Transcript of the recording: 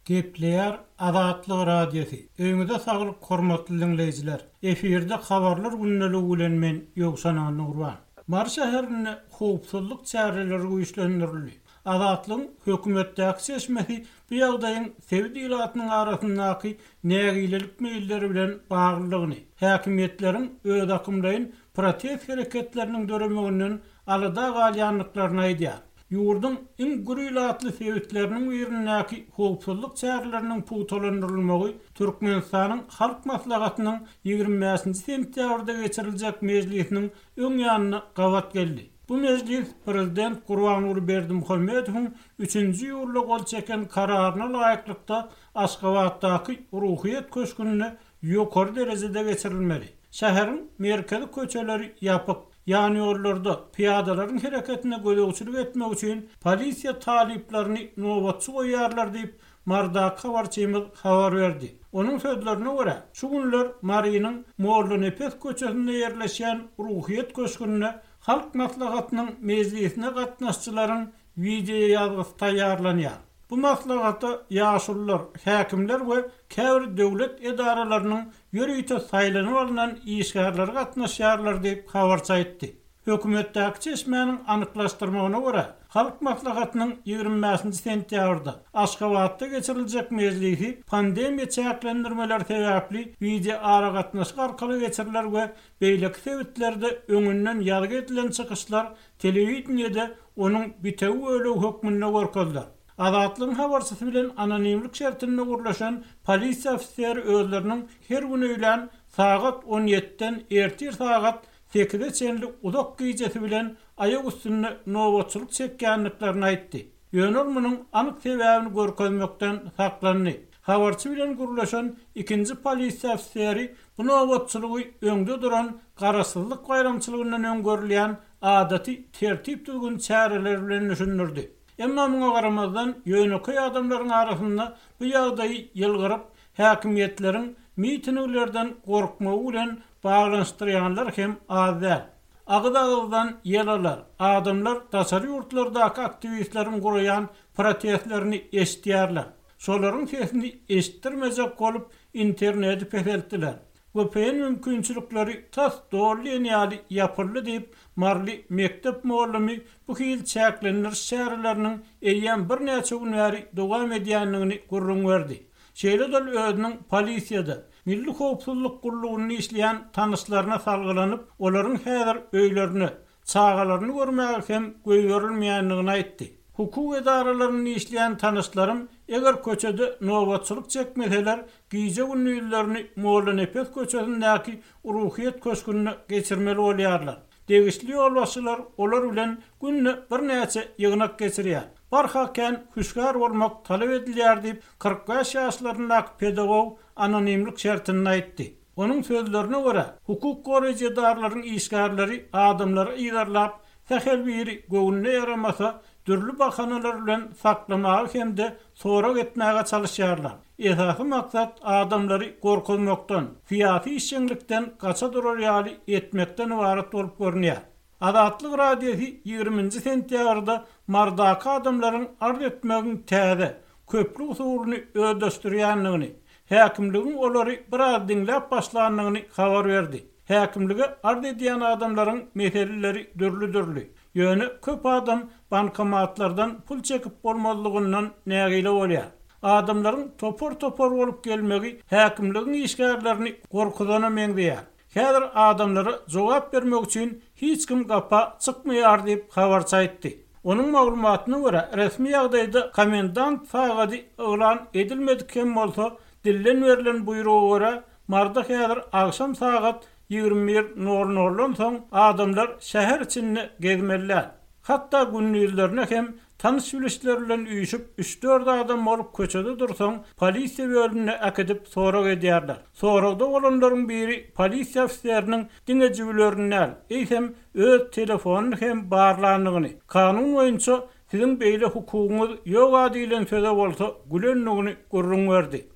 Gepleýär Azatlyk Radiosy. Öýüňize saglyk hormatly diňleýjiler. Efirde habarlar gündeligi bilen men Ýowşan Annagurban. Mary şäherinde howpsuzlyk çäreleri güýçlendirildi. Azatlygyň hökümetdäki çeşmesi bu ýagdaýyň sebit ilatynyň arasyndaky nägilelik meýilleri bilen baglydygyny, häkimiýetleriň özakymlaýyn protest hereketleriniň döremeginden alada galýandyklaryny aýdýar. Ýurduň iň gür ilatly sebitleriniň birindäki howpsuzlyk çäreleriniň pugtalandyrylmagy Türkmenistanyň Halk Maslahatynyň 25-nji sentýabrda geçiriljek mejlisiniň öň ýanyna gabat geldi. Bu mejlis prezident Gurbanguly Berdimuhamedowyň üçünji iýulda gol çeken Kararyna laýyklykda Aşgabatdaky Ruhyýet köşgünde ýokary derejede geçirilmeli. Şäheriň merkezi köçeleri ýapyk. Ýanýollarda pyýadalaryň hereketine gözegçilik etmek üçin polisiýa talyplaryny nobatçy goýýarlar diýip, Marydaky habarçymyz habar berdi. Onuň sözlerine görä, şu günler Marynyň Mollanepes köçesinde ýerleşýän Ruhyýet köşgünde Halk Maslahatynyň mejlisine gatnaşyjylaryň wideoýazgysy taýýarlanýar. Bu maslahata ýaşulular, häkimler we käbir döwlet edaralarynyň ýörite saýlanyp alnan işgärleri gatnaşýarlar diýip, habarçy aýtdy. Hökümetdäki çeşmäniň anyklaşdyrmagyna görä, Halk Maslahatynyň 25-nji sentýabrda Aşgabatda geçiriljek mejlisi pandemiýa çäklendirmeleri sebäpli wideoaragatnaşyk arkaly geçiriler we beýleki sebitlerde öňünden ýazgy edilen çykyşlar telewideniýede onuň bitewi bölegi hökmünde görkeziler. Azatlygyň habarçysy bilen anonimlik şertinde gürleşen polisiýa ofiseri özleriniň her gün öýlän sagat on ýediden ertir sagat sekize çenli uzak gijesi bilen aýak üstünde nobatçylyk çekýändiklerini aýtdy. Ýöne ol munuň anyk sebäbini görkezmekden saklandy. Habarçy bilen gürleşen ikinji polisiýa ofiseri bu nobatçylygy öňde duran Garaşsyzlyk baýramçylygyndan öň görülýän adaty tertip-düzgün çäreleri bilen düşündirdi. Emma muňa garamazdan, ýönekeý adamlaryň arasynda bu ýagdaýy ýylgyryp, häkimiýetleriň mitinglerden gorkmagy bilen baglanyşdyrýanlar hem az däl. Agyz-agyzdan ýel alar, adamlar daşary ýurtlardaky aktiwistleriň guraýan protestlerini eşidýärler. Şolaryň sesini eşitdirmejek bolup, interneti peseltdiler. Vpn mümkinçilikleri tas doly diýen ýaly ýapyldy diýip, maryly mekdep mugallymy bu hili çäklendiriş çäreleriniň eýýäm birnäçe gün bäri dowam edýändigini gürrüň berdi. Şeýle-de ol özüniň polisiýada, Milli howpsuzlyk gullugynda işleýän tanyşlaryna salgylanyp, olaryň häzir öýlerine, çagalaryny görmäge hem goýberilmeýändigini aýtdy. Hukuk edaralarynda işleýän tanyşlarym eger köçede nobatçylyk çekmeseler, gije-gündizlerini Mollanepes köçesindäki Ruhyýet köşgünde geçirmeli bolýarlar. Degişli ýolbaşçylar olar bilen günde birnäçe ýygnak geçirýär. Barha kän hüşgär bolmak talap edilýär diýip, 45 ýaşlaryndaky pedagog anonimlik şertinde aýtdy. Onuň sözlerine görä, hukuk goraýjy edaralaryň işgärleri adamlary yzarlap, sähel biri göwnüne ýaramasa, dürli bahanalar bilen saklamaga hem-de sorag etmäge çalyşýarlar. Esasy maksat adamlary gorkuzmakdan, syýasy işjeňlikden gaça durar ýaly etmekden ybarat bolup görünýär. Azatlyk Radiosy 20-nji sentýabrda Marydaky adamlaryň arz etmegiň täze, köpli usulyny özleşdirýändigini, häkimligiň olary biraz diňläp başlandygyny habar berdi. Häkimlige arz edýän adamlaryň meseleleri dürli-dürli. Ýöne köp adam bankomatlardan pul çekip bolmazlygyndan nägile bolýar. Adamlaryň topar-topar bolup gelmegi häkimligiň işgärlerini gorkuzana meňzeýär. Häzir adamlara jogap bermek üçin hiç kim gapa çykmaýar diýip, habarçy aýtdy. Onuň maglumatyna görä, resmi ýagdaýda komendant sagady yglan edilmedik hem bolsa, dilden berlen buýruga görä, Maryda häzir agşam sagat 21 nol noldan soň adamlar şäher içinde gezmeli däl. Hatda gündizlerine hem tanyş-bilişler bilen üýşüp üç-dört adam bolup köçede dursaň, polisiýa bölümine äkidip sorag edýärler. Soragda bolanlaryň biri polisiýa ofiseriniň diňe jübülerini däl, eýsem, öz telefonyny hem barlandygyny, kanun boýunça siziň beýle hukugyňyz ýog-a diýlen söze bolsa gülendigini gürrüň berdi.